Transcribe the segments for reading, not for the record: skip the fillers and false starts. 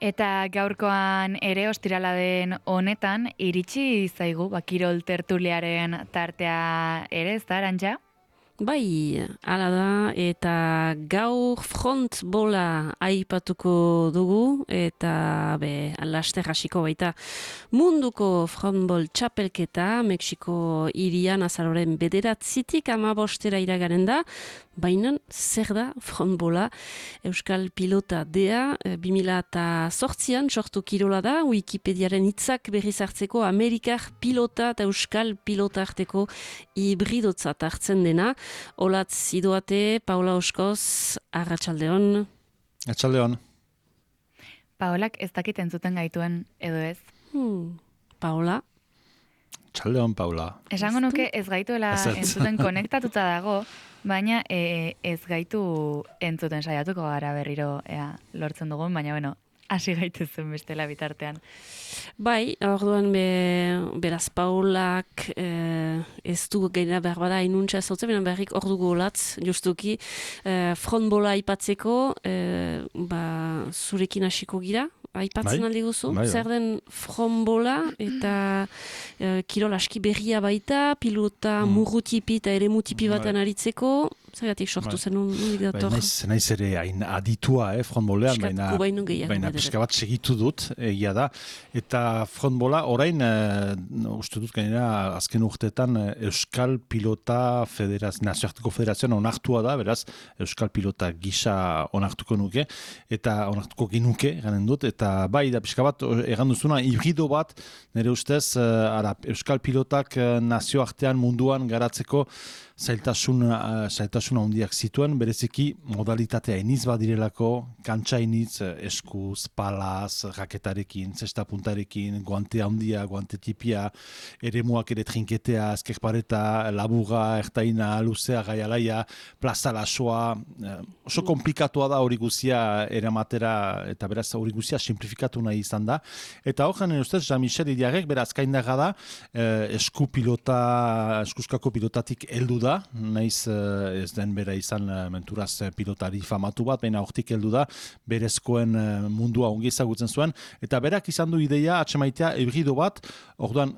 Eta gaurkoan ere ostirala den honetan iritsi zaigu Kirol tertuliaren tartea ere, ez da, Arantxa? Bai, hala da, eta gaur frontbola aipatuko dugu, eta laster hasiko baita munduko frontbol txapelketa, Mexiko hirian azaroren 9-tik 15 iraganen da, baina zer da frontbola? Euskal pilota dea, 2008an sortu kirola da, Wikipediaren hitzak berriz hartzeko Amerikar pilota eta Euskal pilota arteko hibridotzat hartzen dena. Olatz idoate, Paula Oskoz, arratsaldeon. Arratsaldeon. Paolak ez dakit entzuten gaituen edo ez? Paula? Arratsaldeon, Paula. Esango nuke ez gaituela entzuten konektatuta dago, baina ez gaitu entzuten saiatuko gara berriro lortzen dugun, baina bueno, hasi gaitezen bestela bitartean. Bai, orduan beraz Paulak ez du gaina behar bada inuntza zautzen, bena berrik ordu golatz, justuki, frontbola aipatzeko, zurekin hasiko gira, aipatzen aldi guzu, zer den frontbola eta kirol aski berria baita, pilota murrutipi eta ere mutipi batan aritzeko, zergatik sortu zen unik dator? Naiz ere hain aditua, frontbolean, baina pixka bat segitu dut, egia da, eta frontbola orain, uste dut gainera azken urteetan Euskal Pilota Nazioarteko Federazioan onartua da, beraz Euskal Pilota gisa onartuko nuke, eta onartuko ginuke, ganen dut, eta bai da pixka bat, egan duzuna, hibrido bat, nire ustez, Euskal Pilotak nazioartean munduan garatzeko zailtasuna handiak zituen, bereziki modalitatea iniz badirelako, kantxa iniz, eskuz, palaz, raketarekin, zesta puntarekin, guante handia, guante tipia, eremuak ere trinketea, eskerpareta, labuga, ertaina, luzea, gaialaia, plaza lasoa, oso komplikatua da hori guzia eramatera, eta beraz hori guzia simplifikatu nahi izan da. Eta horren, ustez, Jean-Michel Idiarrek, beraz kaindaga da, eskuzkako pilotatik heldu da, naiz ez den bera izan menturaz pilotari famatu bat, baina hortik heldu da, berezkoen mundua ongi ezagutzen zuen, eta berak izan du ideia atxemaitea hibrido bat, orduan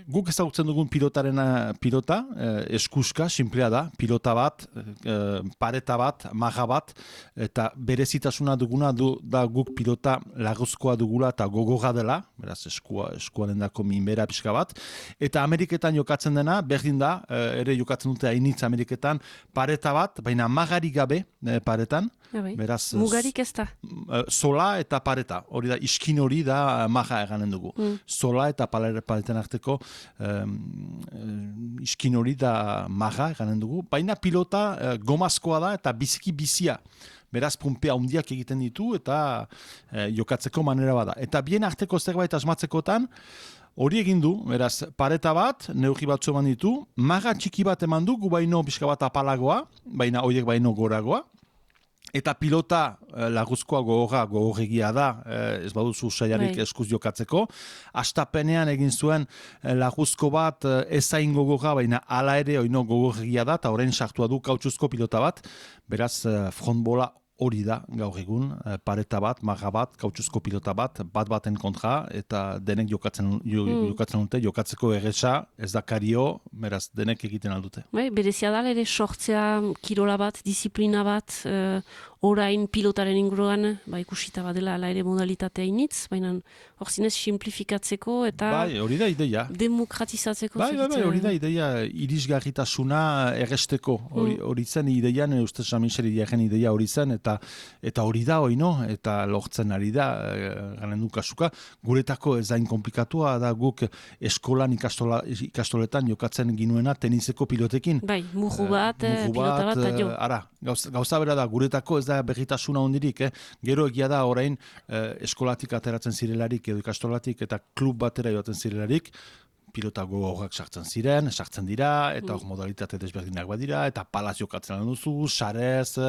guk ezagutzen dugun pilota, eskuska, simplea da, pilota bat, pareta bat, maga bat, eta berezitasuna duguna da guk pilota lagozkoa dugula eta gogorra dela, beraz eskuaren dako minbera pixka bat, eta Ameriketan jokatzen dena, berdin da, ere jokatzen dute hainitz Ameriketan, pareta bat, baina magari gabe paretan, beraz... Mugarik ez da? Sola eta pareta, hori da, iskin hori da maga eganen dugu. Sola eta paretan arteko iskin hori da maga eganen dugu, baina pilota gomazkoa da eta biziki bizia. Beraz, pumpea handiak egiten ditu eta jokatzeko manera bada. Eta bien arteko zerbait asmatzekotan, hori egin du, beraz, pareta bat, neurri batzu eman ditu, maga txiki bat eman du, gu baino pixka bat apalagoa, baina horiek baino goragoa, eta pilota laguzkoa gogorregia da, ez baduzu saiarik eskuz jokatzeko. Astapenean egin zuen laguzko bat ezain gogorra, baina hala ere oino gogorregia da, eta orain sartua du kautxuzko pilota bat, beraz frontbola hori da gaur egun, pareta bat, maga bat, kautxuzko pilota bat baten kontra, eta denek jokatzen dute, jokatzeko erresa, ez da kario, beraz denek egiten aldute. Berezia da, ere sortzea kirola bat, disiplina bat, orain pilotaren inguruan, ikusita badela ala ere modalitatea initz, baina hor zinez simplifikatzeko eta hori da ideia. Demokratizatzeko. Hori da ideia, irisgarritasuna erresteko, hori zen ideian, uste Jean-Michel Idiarren ideia hori zen, eta hori da, eta lortzen ari da, garen du kasuka, guretako ez dain komplikatua, da guk eskolan ikastoletan jokatzen ginuena teniseko pilotekin. Murru bat, pilota bat, jo. Ara, gauza bera da, guretako ez da berritasuna hondirik, gero egia da orain eskolatik ateratzen zirelarik edo ikastolatik eta klub batera joaten zirelarik, pilota gogorrak sartzen dira, eta hor modalitate desberdinak badira, eta palaz jokatzen duzu, sarez,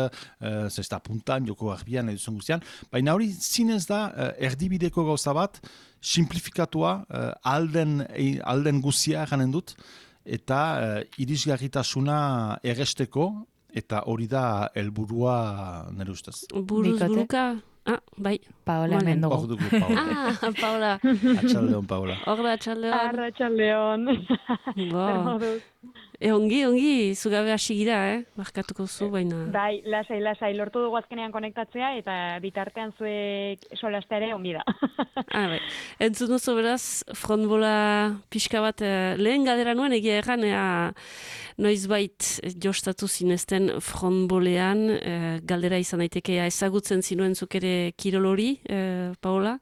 zesta puntan, joko garbian, eduzun guztian, baina hori zinez da erdibideko gauza bat, simplifikatua, alden guzia ganen dut, eta irisgarritasuna erresteko, eta hori da helburua nire ustez. Buruz buruka Bai. Paola hemen dugu. Hor dugu, Paola. Paola. Atxaldeon, Paola. Hor da, atxaldeon. Arratxaldeon. Ongi, zugabe hasi gira, markatuko zu, baina... Bai, lasai, lortu dugu azkenean konektatzea, eta bitartean zuek solastea ere ongi da. Bai. Entzun duzu beraz, frontbola pixka bat, lehen galdera nuen, egia erran, noizbait jostatu zinezten frontbolean, galdera izan daitekea ezagutzen zinuen zuk ere kirol hori, Paola?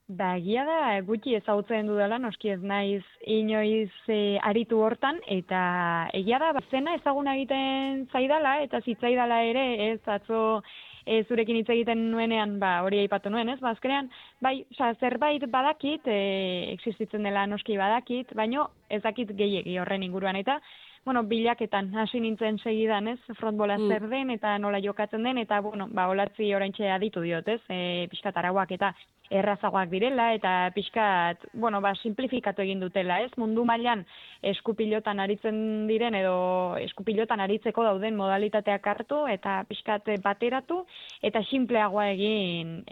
Ba, egia da, gutxi ezagutzen dudala, noski ez naiz inoiz aritu hortan, eta egia da, zena ezaguna egiten zaidala, eta zitzaidala ere, ez atzo zurekin hitz egiten nuenean, hori aipatu nuen, ez? Azkenean, zerbait badakit, existitzen dela noski badakit, baino ez dakit gehiegi horren inguruan, eta bilaketan hasi nintzen segidan, ez? Frontbola zer den, eta nola jokatzen den, eta, olatzi oraintxe aditu diot, ez? Pixkat arauak eta errazagoak direla, eta pixkat, simplifikatu egin dutela, ez? Mundu mailan eskupilotan aritzen diren, edo eskupilotan aritzeko dauden modalitateak hartu, eta pixkat bateratu, eta simpleagoa egin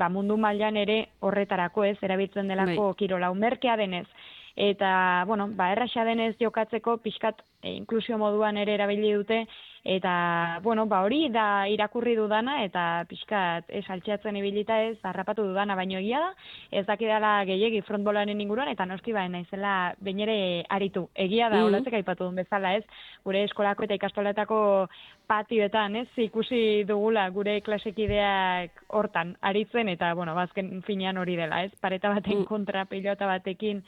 mundu mailan ere horretarako, ez? Erabiltzen delako kirola merkea denez. Eta, erraxa denez jokatzeko pixkat inklusio moduan ere erabili dute, eta, hori da irakurri dudana, eta pixkat altxatzen ibilita ez, harrapatu dudana, baino egia da, ez dakidala gehiegi frontbolaren inguruan, eta noski naizela bainere aritu. Egia da, olatzek aipatu duen bezala, ez, gure eskolako eta ikastoletako patioetan, ez, ikusi dugula gure klasekideak hortan aritzen, eta, bazken finean hori dela, ez, pareta baten kontra pilota batekin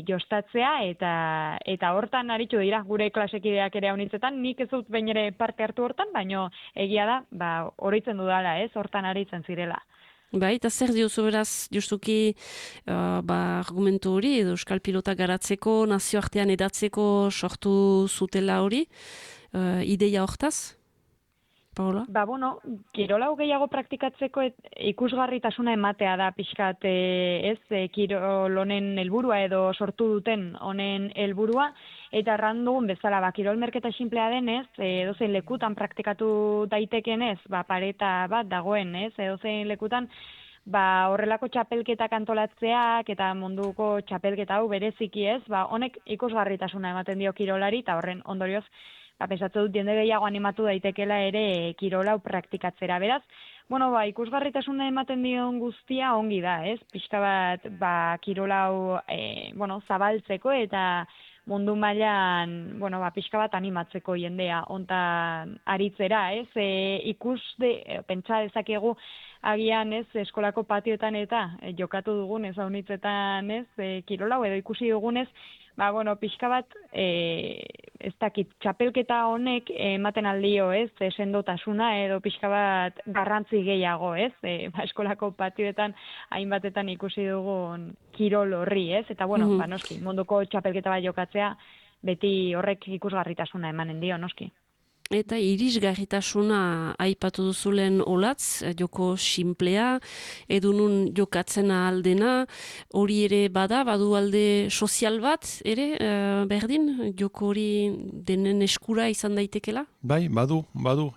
jostatzea, eta hortan aritu dira gure klasekideak ere honitzetan, nik ez dut bain ere parte hartu hortan, baino egia da, oroitzen dudala, ez, hortan aritzen zirela. Bai, eta zer diozu beraz, justuki, argumentu hori, edo euskal pilota garatzeko, nazioartean edatzeko sortu zutela hori, ideia hortaz? Paola? Kirola gehiago praktikatzeko ikusgarritasuna ematea da pixkat, kirol honen helburua edo sortu duten honen helburua, eta erran dugun bezala, kirol merketa sinplea denez, edozein lekutan praktikatu daitekenez, pareta bat dagoen, edozein lekutan, horrelako txapelketak antolatzeak eta munduko txapelketa hau bereziki ez, honek ikusgarritasuna ematen dio kirolari, eta horren ondorioz, pensatzen dut jende gehiago animatu daitekela ere kirola hau praktikatzera. Beraz, ikusgarritasuna ematen dion guztia ongi da, ez? Pixka bat, kirola hau, zabaltzeko eta mundu mailan, pixka bat animatzeko jendea ontan aritzera, ez? Pentsa dezakegu agian, ez, eskolako patioetan eta jokatu dugun, ez, haunitzetan, ez, kirola hau edo ikusi dugunez, pixka bat, ez dakit, txapelketa honek ematen aldio, ez, sendotasuna edo pixka bat garrantzi gehiago, ez, eskolako patioetan hainbatetan ikusi dugun kirol horri, ez, eta, noski, munduko txapelketa bat jokatzea, beti horrek ikusgarritasuna emanen dio, noski. Eta irisgarritasuna aipatu duzulen olatz, joko simplea, edunun jokatzen aldena, hori ere badu alde sozial bat, ere, berdin, joko hori denen eskura izan daitekela? Bai, badu,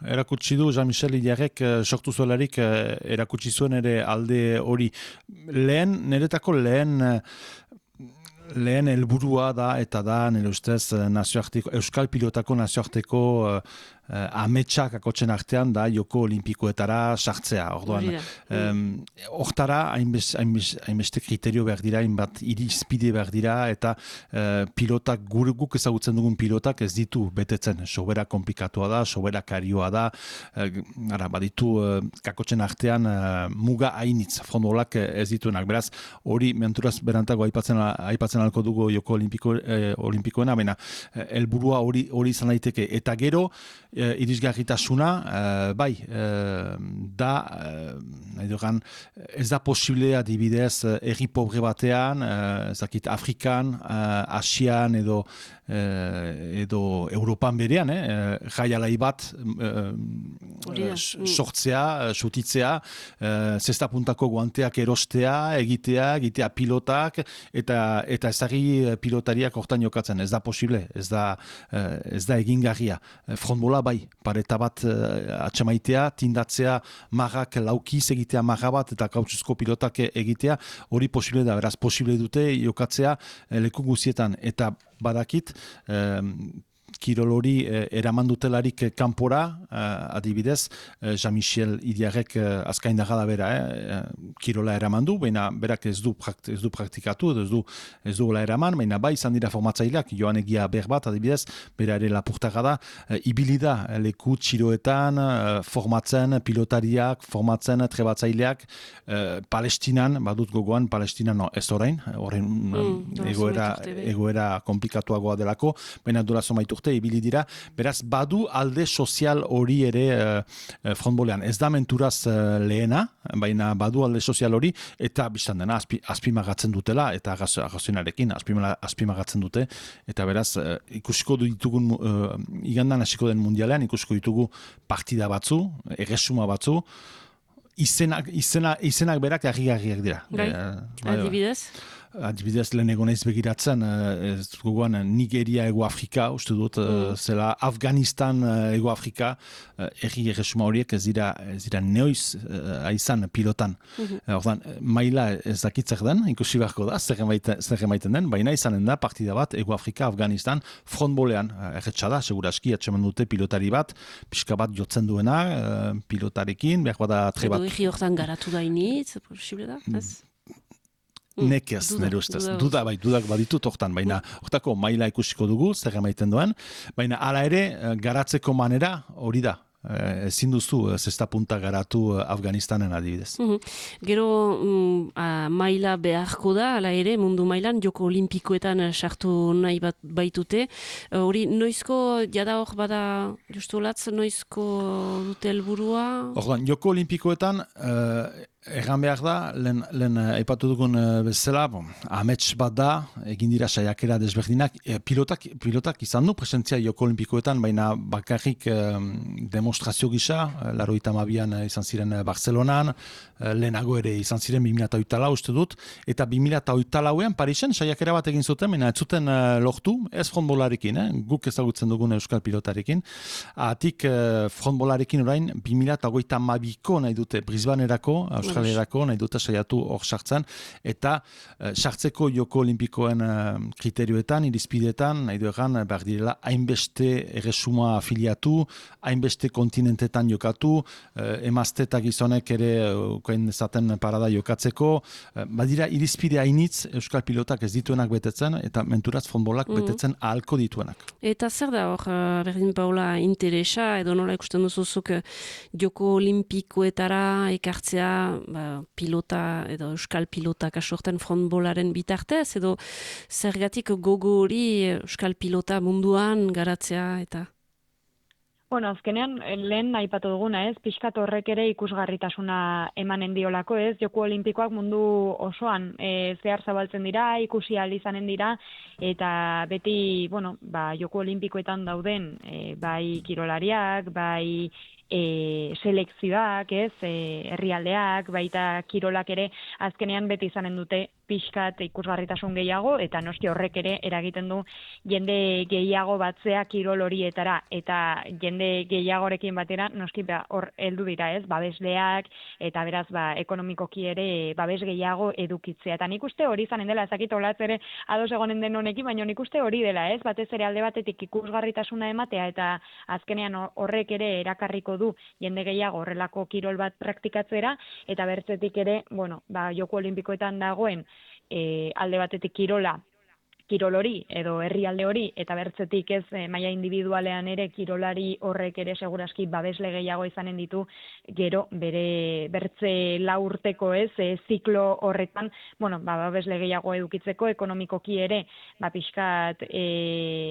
erakutsi du, Jean-Michel Hillarrek sortu zuelarik erakutsi zuen ere alde hori. Niretako lehen helburua da, eta da, nire ustez, Euskal Pilotako nazioarteko ametsak akotzen artean da joko olimpikoetara sartzea. Orduan, hortara hainbeste kriterio behar dira, hainbat irizpide behar dira, eta pilotak, guk ezagutzen dugun pilotak ez ditu betetzen. Sobera komplikatua da, sobera karioa da, baditu kakotzen artean muga hainitz, frontbolak ez dituenak. Beraz, hori menturaz berantago aipatzen alko dugu joko olimpikoena, baina helburua hori izan daiteke. Eta gero, irisgarritasuna, ez da posiblea dibidez herri pobre batean, Afrikan, Asian edo Europan berean, jaialai bat sortzea, sutitzea, zesta puntako guanteak erostea, egitea pilotak, eta ezagri pilotariak hortan jokatzen. Ez da posible, ez da egingarria. Frontbola bai, pareta bat atxamaitea, tindatzea marrak laukiz egitea marra bat eta kautxuzko pilotak egitea, hori posible da, beraz posible dute jokatzea leku guzietan, eta badakit, kirol hori eraman dutelarik kanpora, adibidez, Jean-Michel Idiarrek azkaindaga da bera, kirola eraman du, baina berak ez du praktikatu, ez du eraman, baina bai izan dira formatzaileak, Joan Egia Berbat, adibidez, bera ere lapurtaga da, ibili da leku txiroetan, formatzen pilotariak, formatzen trebatzaileak, Palestinan, badut gogoan, Palestinan ez orain egoera komplikatuagoa delako, baina dura somaiturte ibili dira, beraz badu alde sozial hori ere frontbolean. Ez da menturaz lehena, baina badu alde sozial hori, eta biztan dena azpimagatzen dutela, eta agazionarekin azpimagatzen dute, eta beraz ikusiko ditugun igandan hasiko den mundialean, ikusiko ditugu partida batzu, erresuma batzu, izenak berak argi-argiak dira. Adibidez? Adibidez, lehen egon naiz begiratzen, gogoan Nigeria Ego-Afrika, uste dut, zela Afganistan Ego-Afrika, erresuma horiek ez dira neoiz aizan pilotan. Ordan, maila ez dakitzer den, ikusi beharko da, zer emaiten den, baina izanen da partida bat Ego-Afrika, Afganistan, frontbolean, erretxa da, seguraski, atxeman dute pilotari bat, pixka bat jotzen duena, pilotarekin, behar bada trebat. Edo egi hortan garatu da initz, posible da, ez? Nekez, nire ustez. Dudak baditut hortan, baina hortako maila ikusiko dugu, zer emaiten duen, baina hala ere, garatzeko manera hori da. Ezin duzu zesta punta garatu Afganistanen adibidez. Gero maila beharko da, ala ere, mundu mailan, joko olimpikoetan sartu nahi baitute. Hori, noizko, jada hor bada, justu latz, noizko dute helburua? Ordan, joko olimpikoetan, erran behar da, lehen aipatu dugun bezala, amets bat da, egin dira saiakera desberdinak, pilotak izan du presentzia joko olimpikoetan, baina bakarrik demonstrazio gisa, 92an izan ziren Barcelonan, lehenago ere izan ziren 2008 uste dut, eta 2008an Parisen saiakera bat egin zuten, baina ez zuten lortu, ez frontbolarekin, guk ezagutzen dugun euskal pilotarekin, atik frontbolarekin orain 2022ko nahi dute Brisbanerako, Australerako nahi dute saiatu hor sartzen, eta sartzeko joko olimpikoen kriterioetan, irizpidetan, nahi duegan, behar direla, hainbeste erresuma afiliatu, hainbeste kontinentetan jokatu, emazte eta gizonek ere ukain dezaten parada jokatzeko, badira irizpide hainitz euskal pilotak ez dituenak betetzen, eta menturaz frontbolak betetzen ahalko dituenak. Eta zer da hor, berdin Paula, interesa, edo nola ikusten duzuzuk joko olimpikoetara ekartzea pilota edo euskal pilota kasorten frontbolaren bitartez, edo zergatik gogo hori euskal pilota munduan garatzea eta... Bueno, azkenean, lehen aipatu duguna, ez? Pixkat horrek ere ikusgarritasuna emanen diolako, ez? Joko olimpikoak mundu osoan zehar zabaltzen dira, ikusi ahal izanen dira, eta beti, bueno, joko olimpikoetan dauden, bai kirolariak, bai selekzioak, ez? Herrialdeak, baita kirolak ere, azkenean beti izanen dute pixkat ikusgarritasun gehiago, eta noski horrek ere eragiten du jende gehiago batzea kirol horietara, eta jende gehiagorekin batera noski hor heldu dira, ez, babesleak, eta beraz ekonomikoki ere babes gehiago edukitzea. Eta nik uste hori izanen dela, ezakit olatz ere ados egonen den honekin, baina nik uste hori dela, ez, batez ere alde batetik ikusgarritasuna ematea, eta azkenean horrek ere erakarriko du jende gehiago horrelako kirol bat praktikatzera, eta bertzetik ere, bueno, joko olimpikoetan dagoen alde batetik kirol hori edo herrialde hori, eta bertzetik ez maila individualean ere kirolari horrek ere seguraski babesle gehiago izanen ditu gero bere bertze 4 urteko ez ziklo horretan, bueno, babesle gehiago edukitzeko, ekonomikoki ere pixkat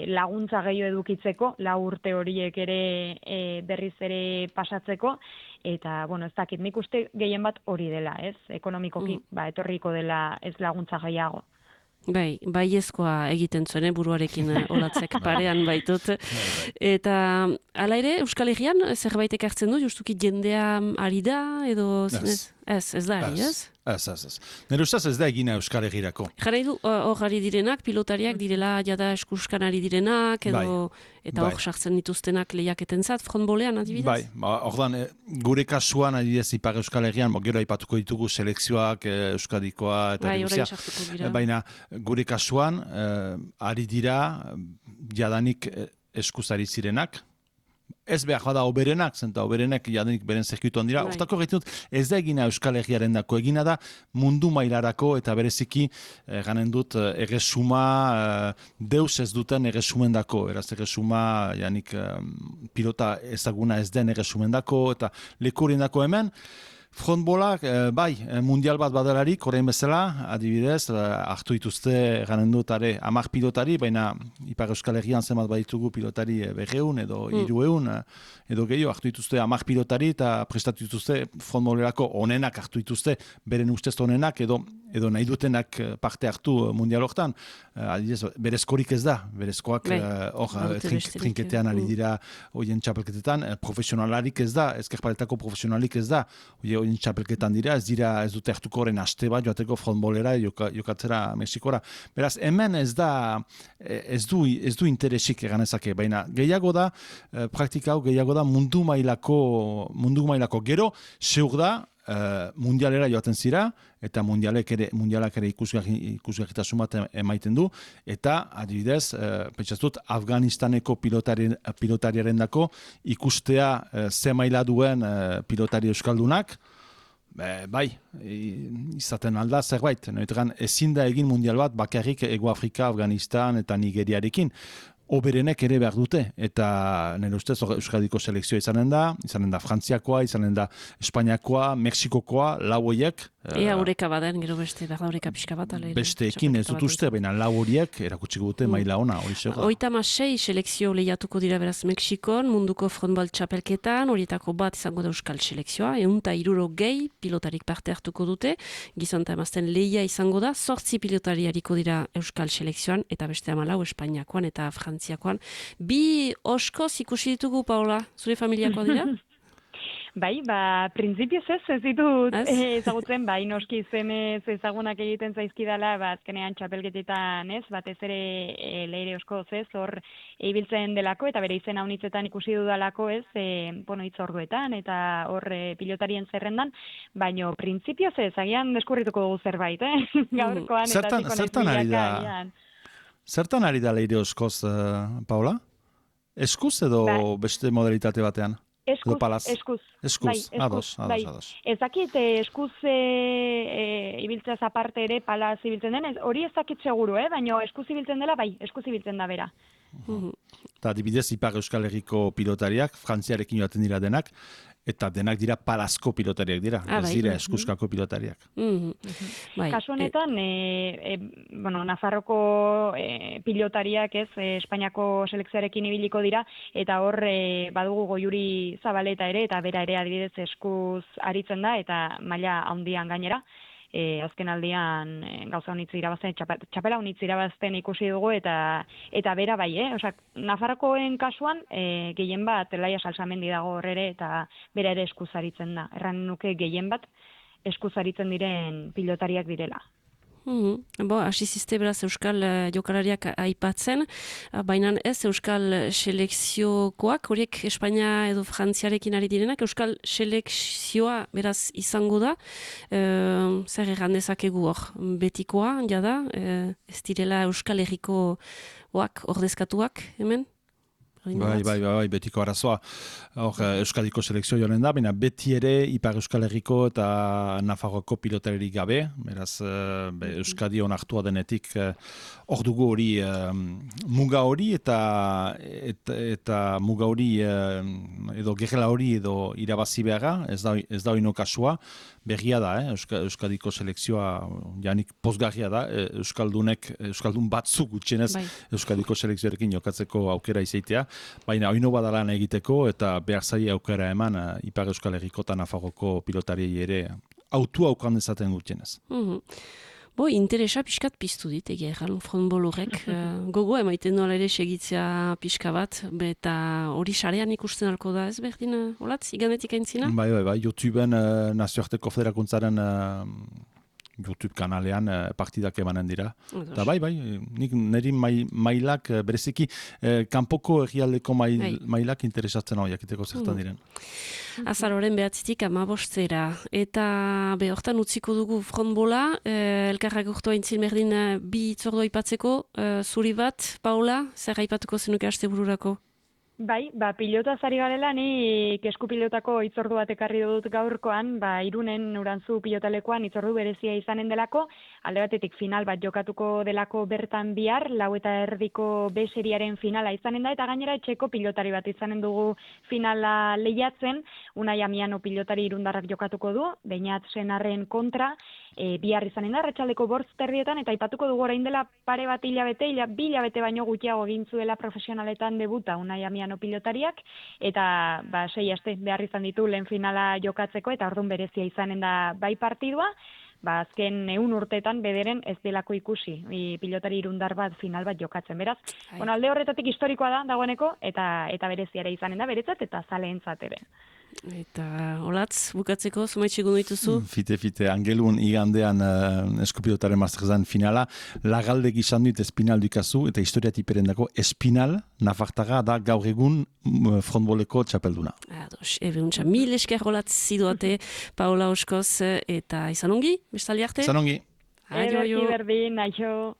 laguntza gehiago edukitzeko 4 urte horiek ere berriz ere pasatzeko, eta bueno, ez dakit, nik uste gehien bat hori dela, ez? Ekonomikoki etorriko dela ez laguntza gehiago. Baiezkoa egiten zuen, buruarekin olatzek parean baitut. Eta hala ere, Euskal Herrian zerbait ekartzen du, justuki jendea ari da, edo Ez da, ez? Ez. Nire ustez ez da egina Euskal Herrirako. Jarrai du, hor ari direnak, pilotariak direla jada eskuskan ari direnak, edo, eta hor sartzen dituztenak lehiaketen zat, frontbolean adibidez? Ordan, gure kasuan adibidez Ipar Euskal Herrian, gero aipatuko ditugu selekzioak Euskadikoa eta Guzia. Baina gure kasuan, ari dira jadanik eskuzari zirenak, ez behar bada oberenak, zenta oberenak jadenik beren zirkuituan dira. Hortako gaitut, ez da egina Euskal Herriaren dako, egina da mundu mailarako eta bereziki ganen dut erresuma, deus ez duten erresumen dako. Eraz erresuma, janik pilota ezaguna ez den erresumen dako eta lekurien dako hemen. Frontbolak, mundial bat badalarik, orain bezala, adibidez, hartu dituzte ganen dut 10 pilotari, baina Ipar Euskal Herrian zenbat baditugu pilotari 200 edo 300 edo gehiago hartu dituzte 10 pilotari eta prestatu dituzte frontbolerako onenak hartu dituzte, beren ustez onenak edo nahi dutenak parte hartu mundial hortan. Adibidez, berezkorik ez da, berezkoak trinketean ari dira hoien txapelketetan, profesionalarik ez da, ezkerpaletako profesionalik ez da, hoien txapelketan dira, ez dute hartuko horren aste bat joateko frontbolera jokatzera Mexikora. Beraz, hemen ez du interesik eganezake, baina gehiago da, praktika hau gehiago da mundu mailako gero, seur da, mundialera joaten zira, eta mundialak ere ikusgarritasun bat emaiten du, eta adibidez, pentsatut, Afganistaneko pilotariaren dako ikustea ze maila duen pilotari euskaldunak, izaten alda zerbait. Ezin da egin mundial bat bakarrik Ego Afrika, Afganistan eta Nigeriarekin. Oberenek ere behar dute, eta nire ustez Euskadiko selekzioa izanen da Frantziakoa, izanen da Espainiakoa, Mexikokoa, lau horiek. Ea horeka baden, gero beste, behar horeka pixka bat. Besteekin ez dut uste, baina lau horiek erakutsiko dute maila ona, hori zer da. 36 selekzio lehiatuko dira beraz Mexikon, munduko frontball txapelketan, horietako bat izango da Euskal selekzioa, 160 pilotarik parte hartuko dute, gizon eta emazten lehia izango da, 8 pilotari hariko dira Euskal selekzioan, eta beste 14 Espainiakoan eta Frantziakoan. Bi oskoz ikusi ditugu, Paola, zure familiakoa dira? Bai, printzipioz ez ditut ezagutzen, noski izenez ezagunak egiten zaizkidala, azkenean txapelketetan batez ere leire oskoz hor ibiltzen delako, eta bere izena unitzetan ikusi dudalako hitzorduetan, eta hor pilotarien zerrendan, baina printzipioz agian deskurrituko dugu zerbait, gaurkoan eta zertan ari da? Zertan ari da leire oskoz, Paola? Eskuz edo beste modalitate batean? Eskuz. Ados. Ez dakit eskuz ibiltzeaz aparte ere palaz ibiltzen den, hori ez dakit seguru, baina eskuz ibiltzen dela, eskuz ibiltzen da bera. Eta adibidez Ipar Euskal Herriko pilotariak, Frantziarekin joaten dira denak, eta denak dira palazko pilotariak dira, ez dira eskuzkako pilotariak. Kasu honetan, Nafarroko pilotariak Espainiako selekzioarekin ibiliko dira, eta hor badugu Goiuri Zabaleta ere, eta bera ere adibidez eskuz aritzen da, eta maila handian gainera. Azken aldian gauza honitz irabazten, txapela honitz irabazten ikusi dugu, eta bera bai, Nafarrokoen kasuan gehien bat Laia Salsamendi dago hor ere, eta bera ere eskuzaritzen da. Erran nuke gehien bat eskuzaritzen diren pilotariak direla. Hasi zizte beraz Euskal jokalariak aipatzen, baina ez Euskal selekziokoak, horiek Espainia edo Frantziarekin ari direnak, Euskal selekzioa beraz izango da, zer egan dezakegu hor, betikoa, jada, ez direla Euskal Herrikoak ordezkatuak, hemen? Bai, betiko arazoa. Euskadiko selekzio joan da, baina beti ere Ipar Euskal Herriko eta Nafarroako pilotarerik gabe, beraz Euskadi onartua denetik hor dugu hori muga hori eta muga hori edo gerrela hori edo irabazi beharra, ez da oino kasua, berria da, Euskadiko selekzioa janik pozgarria da, Euskaldun batzuk gutxienez Euskadiko selekzioarekin jokatzeko aukera izaitea, baina oino badalan egiteko eta behar zaila aukera eman Ipar Euskal Herriko eta Nafarroko pilotariei ere autua aukan dezaten gutxienez. Interesa pixkat piztu dit, egia erran, frontball horrek. Gogo, emaiten nola ere segitzea pixka bat, eta hori sarean ikusten alko da, ez berdin, olatz, iganetik aintzina? Bai, YouTubeen nazioarteko federakuntzaren YouTube kanalean partidak emanen dira. Eta bai, nik niri mailak bereziki kanpoko egialdeko mailak interesatzen hau jakiteko zertan diren. Azaroren 9-tik 15 eta hortan utziko dugu frontbola, elkarrak urtu haintzin berdin bi itzordua aipatzeko, zuri bat, Paula, zer aipatuko zenuke aste bururako? Bai, pilota zari garela, ni esku pilotako itzordu bat ekarri dut gaurkoan, Irunen Urantzu pilotalekoan itzordu berezia izanen delako, alde batetik final bat jokatuko delako bertan bihar, 4:30 B seriaren finala izanen da, eta gainera etxeko pilotari bat izanen dugu finala lehiatzen, Unai Amiano pilotari irundarrak jokatuko du, Beñat Senarren kontra, bihar izanen da, arratsaldeko 5:00 eta aipatuko dugu orain dela pare bat hilabete, 2 hilabete baino gutxiago egin zuela profesionaletan debuta Unai Amiano pilotariak, eta 6 aste behar izan ditu lehen finala jokatzeko, eta ordun berezia izanen da bai partidua, azken 100 urteetan bederen ez delako ikusi, pilotari irundar bat final bat jokatzen, beraz. Alde horretatik historikoa da, dagoeneko, eta bereziara izanen da, beretzat, eta zaleentzat ere. Eta olatz, bukatzeko, zumaitxegun dituzu? Fite, angelun igandean eskupilotaren masterzan finala, lagalde gizan dut espinal dukazu, eta historia tiperendako espinal, nafartaga da gaur egun frontboleko txapelduna. Ados, untxa, 1000 esker olatz ziduate, Paola Oskoz, eta izan ongi, bestali arte? Izan ongi. Ederki berdin, aio.